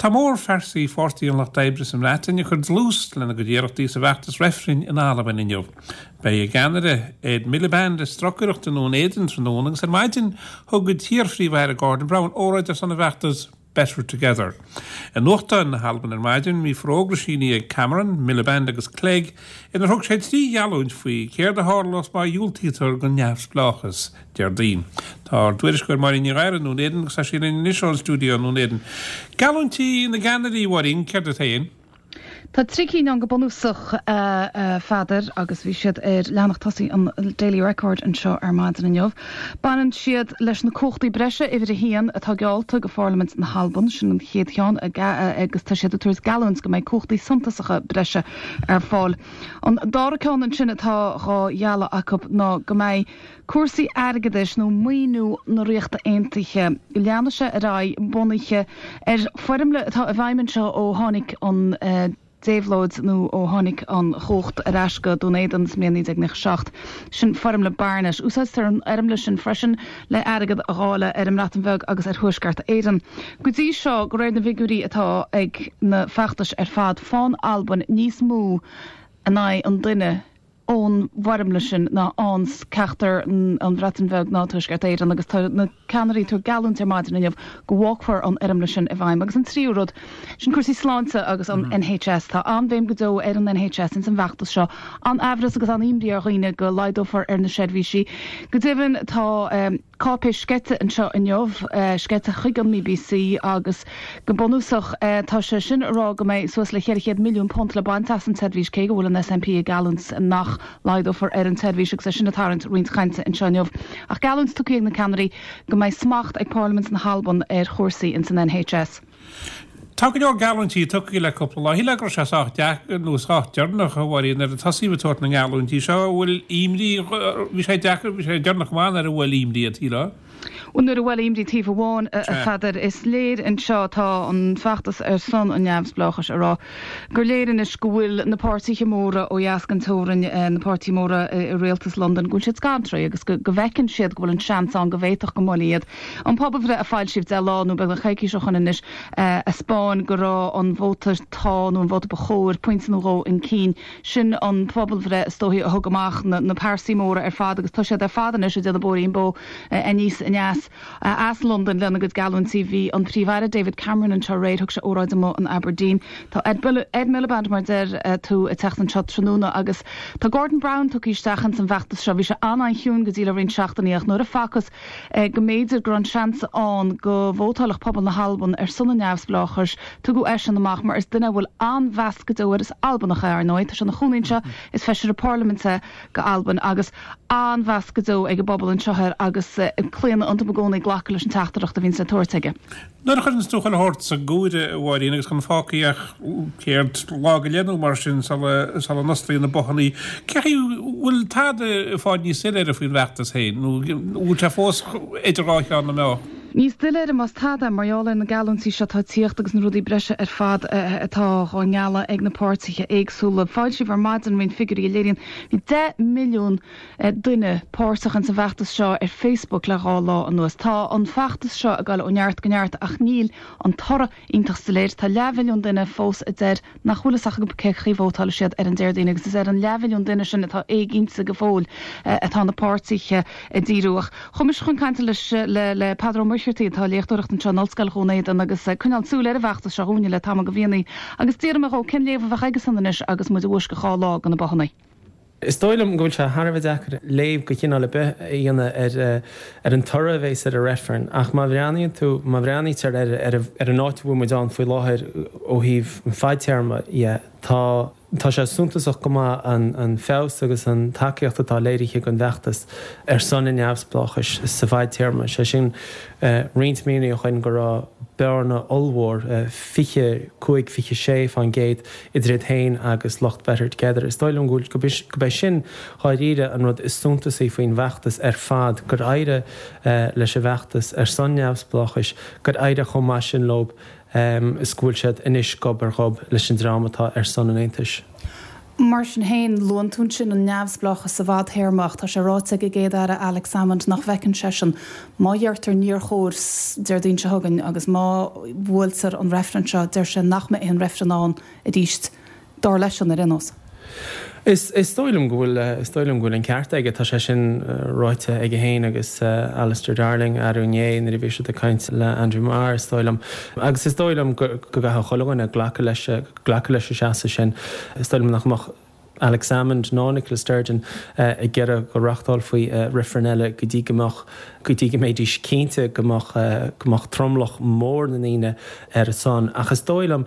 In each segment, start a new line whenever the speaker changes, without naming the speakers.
Tá mórphearsaí Pháirtí an Lucht Oibre sa mBreatain ag cur dlús lena gcuid iarrachtaí sa bhfeachtas reifrinn in Albain inniu. Beidh a gceannaire, Ed Miliband, ag stocaireacht i nDún Éideann tráthnóna agus ar maidin thug an t-iar-Phríomh-Aire Gordon Brown óráid ar son an bhfeachtais Better Together. I nuachtáin na hAlban ar maidin bhí forógra sínithe ag Cameron, Miliband agus Clegg inar thug sé 3 gheallúint faoi céard a tharlós má dhiúltaítear don neamhspleáchas Déardaoin. Tá ár dtuairisceoir Máirín Ní Ghadhra i nDún Éideann agus tá sí linn anois ón stiúideo i nDún Éideann. Geallúintí na gceannairí, a Mháirín, céard iad féin?
Tá trí cinn ann go bunúsach, a Pheadair, agus bhí siad ar leathanach tosaigh an Daily Record anseo ar maidin inniu. Baineann siad leis na cumhachtaí breise, uimhir a haon, atá geallta go Pharlaimint na hAlban, sin an chéad cheann, agus tá siad ag tabhairt geallúint go mbeidh cumhachtaí suntasacha breise ar fáil. An dara ceann ansin atá dhá ghealladh acu ná go mbeidh Cúrsaí airgeadais nó maoiniú na Ríochta Aontaithe, go leanfaidh sé ar aghaidh bunaithe ar foirmle atá i bhfeidhm anseo ó tháinig an déabhlóid nó ó tháinig an chumhacht ar ais go Dún Éideann sa mbliain 1997. Sin foirmle Barnett. Úsáidtear an fhoirmle sin freisin le airgead a dháileadh ar an mBreatain Bheag agus ar Thuaisceart Éireann. Go dtí seo, de réir na bhfigiúirí atá ag na feachtais ar fad, faigheann Albain níos mó in aghaidh an duine ón bhfoirmle sin ná faigheanns ceachtar an Bhreatain Bheag ná Tuaisceart Éireann agus tá na ceannairí ag tabhairt geallúint ar maidin inniu go bhfágfar an fhoirmle sin i bhfeidhm. Agus an tríú rud, sin cúrsaí sláinte agus an NHS. Tá an-bhéim go deo ar an NHS ins an bhfeachtas seo. An-aimhreas agus an-imní ar dhaoine go laghdófar ar na seirbhísí. Go deimhin tá. cáipéis sceite anseo inniu, sceite chuig an mBBC agus go bunúsach tá sé sin ag rá go mbeidh suas le £400 milliún le baint as an tseirbhís cé go bhfuil an SNP ag geallúint nach laghdófar ar an tseirbhís agus é sin ag tarraingt roinnt cainte anseo inniu. Ach geallúint tugtha ag na ceannairí go mbeidh smacht ag Parlaimint na hAlban ar chúrsaí ins an NHS.
Tá go leor geallúintí tugtha le cúpla lá. Shílfeá go raibh sé sách deacair nó sách deireanach, a Mháirín, nuair a tosaíodh ag tabhairt na ngeallúintí seo. An bhfuil imní, bhí sé deacair, bhí sé deireanach go maith nuair a bhuail imní iad, shílfeá?
Bhuel, nuair a bhuail imní taobh amháin, a Pheadair, is léir anseo, tá an feachtas ar son an neamhspleáchais ag rá gur léir anois go bhfuil na páirtithe móra ó dheas den teorainn, na páirtithe móra i rialtas Londain, go bhfuil siad scanraithe agus go bhfeiceann siad go bhfuil an seans ann go bhféadfadh go mbuailfí iad. An pobalbhreith a foilsíodh 10 lá nó beagnach coicís ó shoin anois a 'spáin go raibh an vóta 'Tá' nó an vóta ba chóir pointe nó dhó chun cinn. Sin an phobalbhreith is dóichí a thug amach na pearsaí móra ar fad agus tá siad ar fad anois ag déanamh bóithrín bó aníos aneas as Londain lena gcuid geallúintí. Bhí an Príomh-Aire David Cameron anseo aréir, thug sé óráid amuigh in Aberdeen. Tá Ed Miliband, mar a deir tú, ag teacht anseo tráthnóna agus tá Gordon Brown tugtha isteach ins an bhfeachtas seo. Bhí sé an-an-chiúin go dtí le roinnt seachtainí ach nuair a facthas go mb'fhéidir go raibh an seans ann go vótálfadh pobal na hAlban ar son an neamhspleáchais. Tugadh eisean amach mar is duine a bhfuil an-mheas go deo air. Is Albanach é, ar ndóigh. Tá sé ina chónaí anseo, is feisire parlaiminte go Albain agus an-mheas go deo ag an bpobal anseo air agus claonadh iontu i gcónaí glacadh leis an teachtaireacht a bhíonns le tabhairt aige.
Nuair a chuireanns tú chuile shórt sa gcomhaireamh, a Mháirín, agus gan fágtha ach, céard, lá go leith nó mar sin sula, sula n-osclaíonn na bothannaí, cé chaoi bhfuil tada ag fáil níos soiléire faoin bhfeachtas féin, nó bhfuil sé fós idir dhá cheann na meá?
Níos doiléire más tada, mar gheall ar na geallúintí seo atá ag tíocht agus na rudaí breise ar fad atá dhá ngealladh ag na páirtithe éagsúla. Foilsíodh ar maidin roinnt figiúirí a léiríonn bhí 10 milliún duine páirteach ins an bhfeachtas seo ar Facebook le 2 lá anuas. Tá an feachtas seo ag dul ó neart go neart ach níl an toradh iontach soiléir. Tá leathmhilliún duine fós a deir nach bhfuil fhios acu cé chaoi vótálfaidh siad ar an Déardaoin agus is ar an leathmhilliún duine sin atá éiginnte go fóill atá na páirtithe ag díriú. Ach chuaigh mise chun cainte leis le Peadar Ó Muircheartaigh atá ag léachtóireacht anseo in Ollscoil Dhún Éideann agus ag coinneáil súil ar an bhfeachtas seo dhúinne le tamall de mhíonnaí agus d'fhiafraigh mé dhó cén léamh a bheadh aigesan anois agus muid i bhfoisceacht 2 lá go na bothannaí.
Is dóigh liom go bhfuil sé thar a bheith deacair léamh de chineál ar bith a dhéanamh ar ar an toradh a bheas ar an reifreann ach má bhreathnaíonn tú, má bhreathnaítear ar ar ar an áit a bhfuil muid ann faoi láthair ó thaobh an fadtéarma dhe, tá tá sé suntasach go maith an an feabhas agus an tacaíocht atá léirithe don bhfeachtas ar son an neamhspleáchais sa bhfadtéarma, sé sin roinnt míonna ó shoin go raibh bearna ollmhór, 25, 26%, idir iad féin agus lucht Better Together. Is dóigh liom go bhfuil, gurb é sin dháiríre an rud is suntasaí faoin bhfeachtas ar fad, gur éirigh leis an bhfeachtas ar son neamhspleáchais, gur éirigh chomh maith sin leo is go bhfuil siad anois gob ar ghob leis an dream atá ar son an aontais.
Mar sin féin, luann tú ansin an neamhspleáchas sa bhfadtéarma ach tá sé ráite ag an gCéad-Aire Alex Salmond nach bhfeiceann seisean, má dheirtear níor chóir Déardaoin seo chugainn agus má bhuailtear an reifreann seo, deir sé nach mbeidh aon reifreann ann arís, dar leisean ar aon nós.
Is dóigh liom go bhfuil, is dóigh liom go bhfuil an ceart aige. Tá sé sin ráite aige féin agus Alistair Darling arú inné nuair a bhí siad ag caint le Andrew Marr, is dóigh liom. Agus is dóigh liom go gcaithfidh chuile dhuine glacadh leis, glacadh leis an seasamh sin. Is dóigh liom nach mbeadh Alex Salmond ná Nicola Sturgeon ag iarraidh go reáchtálfaí reifreann eile go dtí go mbeadh, go dtí go mbeidís cinnte go mbeadh, go mbeadh tromlach mór na ndaoine ar a son. Ach is dóigh liom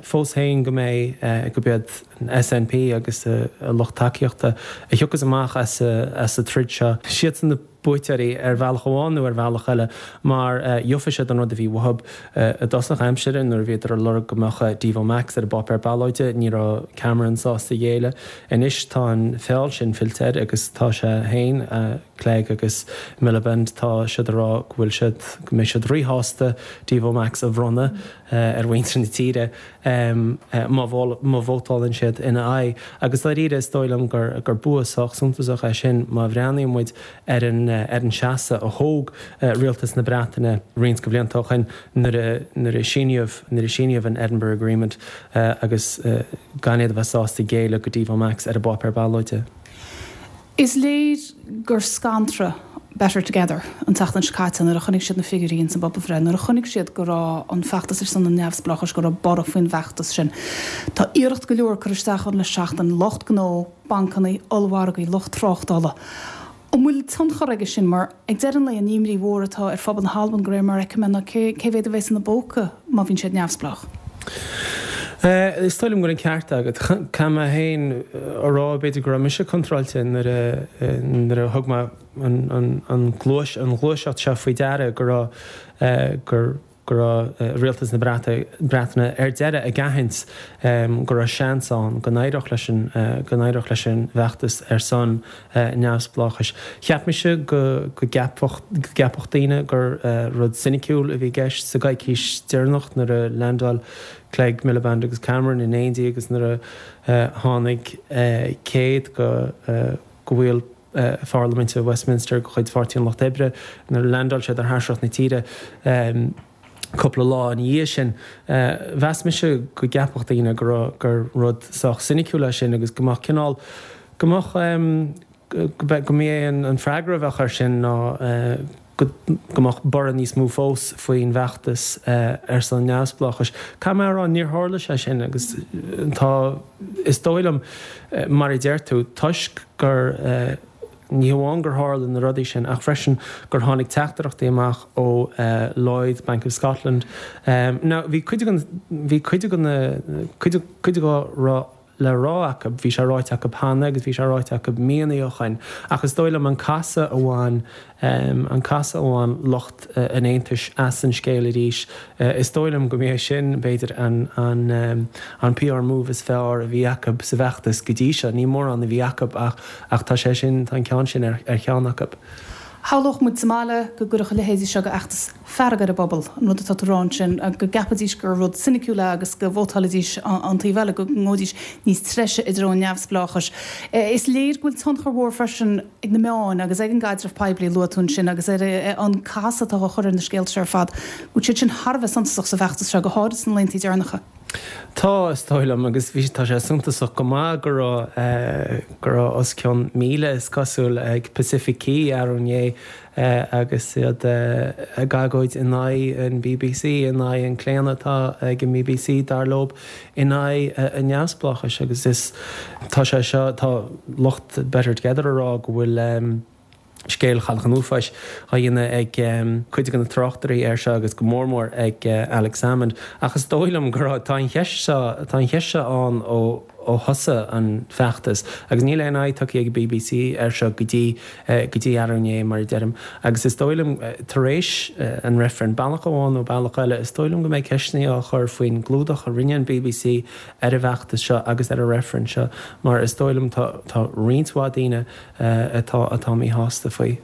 fós féin go mbeidh, gurb iad an SNP agus a lucht tacaíochta a thiocfas amach as an troid seo. Siadsan na buaiteoirí ar bhealach amháin nó ar bhealach eile mar gheofaidh siad an rud a bhí uathu. I dtosach aimsire nuair a bhíodar ag lorg go mbeadh Devo Max ar an bpáipéar ballóide ní raibh Cameron sásta géilleadh. Anois tá an feall sin fillte air agus tá sé féin, Clegg agus Miliband, tá siad ag rá go bhfuil siad, go mbeidh siad ríshásta Devo Max a bhronnadh ar mhuintir na tíre. má vótálann siad ina aghaidh. Agus dáiríre, is dóigh liom gur bua sách suntasach é sin má bhreathnaíonn muid ar an ar an seasamh a thóg rialtas na Breataine roinnt de bhlianta ó shin nuair a nuair a síníodh nuair a síníodh an Edinburgh Agreement agus gan iad a bheith sásta géilleadh go Devo Max ar an bpáipéar ballóide.
Is léir gur scanradh Better Together an tseachtain seo caite nuair a chonaic siad na figiúirí ins an bpobalbhreith, nuair a chonaic siad go raibh an feachtas ar son an neamhspleáchais, go raibh borradh faoin bhfeachtas sin. Tá iarracht go leor curtha isteach ann le seachtain, lucht gnó, bancanna, ollmhargaí, lucht tráchtála. An bhfuil tionchar aige sin? Mar ag deireadh an lae, an imní mhór atá ar phobal na hAlban, de réir mar a fheicim é, ná cé mhéad a bheas ina bpóca má bhíonn siad neamhspleách.
Is dóigh liom go bhfuil an ceart agat. Caithfidh mé féin a rá, b'fhéidir go raibh mise contráilte nuair a nuair a thug mé an ghluais an ghluaiseacht seo faoi deara go raibh gur go raibh rialtas na Breataine ar deireadh ag aithint go raibh seans ann go n-éireodh leis an go n-éireodh leis an bhfeachtas ar son neamhspleáchais. Cheap mise go go gceapfadh go gceapfadh daoine gur rud soiniciúil a bhí i gceist sa gcoicís deireanach nuair a leaindeáil Clegg, Miliband agus Cameron in éindí agus nuair a tháinig 100 go go bhaill Pharlaiminte Westminster de chuid Pháirtí an Lucht Oibre, nuair a leaindeáil siad ar thairseach na tíre cúpla lá ina dhiaidh sin. Mheas mise go gceapfadh daoine go raibh, gur rud sách soiniciúil é sin agus go mbeadh cineál, go mbeadh, go mba é an freagra a bheadh air sin ná go mbeadh borradh níos mó fós faoin bhfeachtas ar son neamhspleáchais. Caithfidh mé a rá, níor tharla sé sin agus tá, is dóigh liom, mar a deir tú, toisc gur, ní hamháin gur tharla na rudaí sin ach freisin gur tháinig teachtaireachtaí amach ó Lloyds Bank of Scotland. Now bhí cuid de, bhí cuid de na, cuid, cuid dá raibh le rá acu, bhí sé ráite acu cheana agus bhí sé ráite acu míonna ó shoin ach is dóigh liom an casadh a bhain, an casadh a bhain lucht an Aontais as an scéal arís, is dóigh liom go mb'é sin, b'fhéidir, an, an, an PR move is fearr a bhí acu sa bhfeachtas go dtí seo. Ní mórán a bhí acu ach, ach tá sé sin, tá an ceann sin ar, ar cheann acu.
Shamhlódh muid sa mbaile go gcuirfeadh a leithéidí seo d'fheachtas fearg ar an bpobal, an rud atá tú a rá ansin, go gceapfaidís gur rud soiniciúil é agus go vótálfaidís an taobh eile, go ngabhfaidís níos treise i dtreo an neamhspleáchais. Is léir go bhfuil tionchar mhór freisin ag na meáin agus ag an gcaidreamh poiblí a luaigh tú ansin agus ar an casadh atá á chur ar na scéalta seo ar fad, go bhfuil siad sin thar a bheith suntasach sa bhfeachtas seo, go háirid sna laethanta deireanacha.
Tá, is dóigh liom, agus bhí, tá sé suntasach go maith go raibh, go raibh os cionn 1,000, is cosúil, ag Pacific Quay arú inné agus iad ag agóid in aghaidh an bbc, in aghaidh an claonadh atá ag an bbc, dar leo, in aghaidh an neamhspleáchais agus is, tá sé seo, tá lucht Better Together ag rá go bhfuil. scéal Chailleach an Uafáis á dhéanamh ag cuid de na tráchtairí air seo agus go mór mór ag Alex Salmond. Ach is dóigh liom go raibh, tá an cheist seo, tá an cheist seo ann ó ó thosaigh an feachtas agus níl aon aghaidh tugtha ag an bbc air seo go dtí, go dtí arú inné mar a deirim. Agus is dóigh liom tar éis an reifrinn, bealach amháin nó bealach eile, is dóigh liom go mbeidh ceisteanna á chur faoin gclúdach a rinne an bbc ar an bhfeachtas seo agus ar an reifreann seo mar is dóigh liom tá, tá roinnt mhaith daoine atá atá míshásta faoi.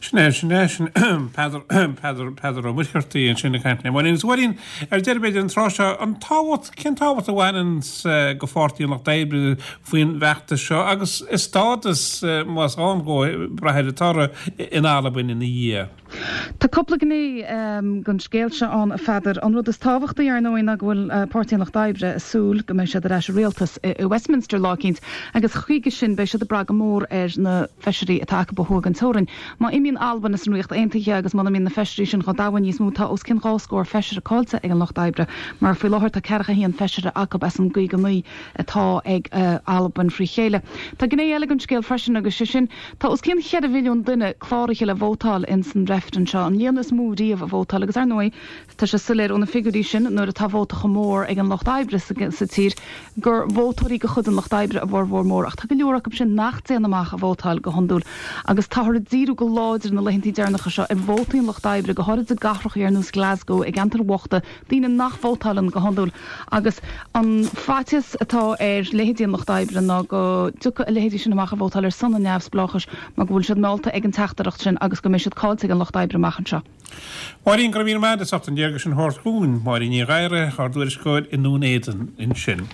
Sin. Sin é, sin é, sin Peadar, Peadar, Peadar Ó Muircheartaigh ansin ag caint le Máirín. Agus a Mháirín, ar deireadh b'fhéidir an tráth seo, an tábhacht, cén tábhacht a bhaineann go Pháirtí an Lucht Oibre faoin bhfeachtas seo agus a stádas, más ann dhó, ag brath ar an toradh in Albain ina dhiaidh?
Tá cúpla gné den scéal seo ann, a Pheadair. An rud is tábhachtaí, ar ndóigh, ná go bhfuil Páirtí an Lucht Oibre ag súil go mbeidh siad ar ais i rialtas i Westminster lá eicínt agus chuige sin beidh siad ag brath go mór ar na feisirí atá acu ó thuaidh den teorainn. Má imíonn Albain as an Ríocht Aontaithe agus muna mbíonn na feisirí sin chomh domhain níos mó, tá os cionn 20 feisire caillte ag an Lucht Oibre, mar faoi láthair tá ceathracha haon feisire acu as an gcaoga naoi atá ag Albain frí chéile. Tá gné eile den scéal freisin agus sé sin, tá os cionn cheithre mhilliún duine cláraithe le vótáil ins an reifreann seo, an líon is mó riamh a vótáil agus ar ndóigh, Tá sé soiléir ó na figiúirí sin, nuair atá vóta chomh mór ag an Lucht Oibre sa tír, gur vótóirí de chuid an Lucht Oibre a bhformhór mór, ach tá go leor acu sin nach dtéann amach a vótáil go hiondúil. Agus táthar ag díriú go láidir na laethantaí deireanacha seo ar vótaí an Lucht Oibre, go háirid i gcathracha ar nós Glasgow, i gceantair bhochta, daoine nach vótáileann go hiondúil. Agus an faitíos atá ar leithéidí an Lucht Oibre ná go dtiocfaidh a leithéidí sin amach a vótáil ar son an neamhspleáchais mar go bhfuil siad meallta ag an teachtaireacht sin agus go mbeidh siad caillte ag an Lucht Oibre amach anseo.
Máirín, go raibh míle maith agat as ucht an léargas sin a thabhairt dhúinn. Máirín Ní Ghadhra, ár dtuairisceoir i nDún Éideann ansin.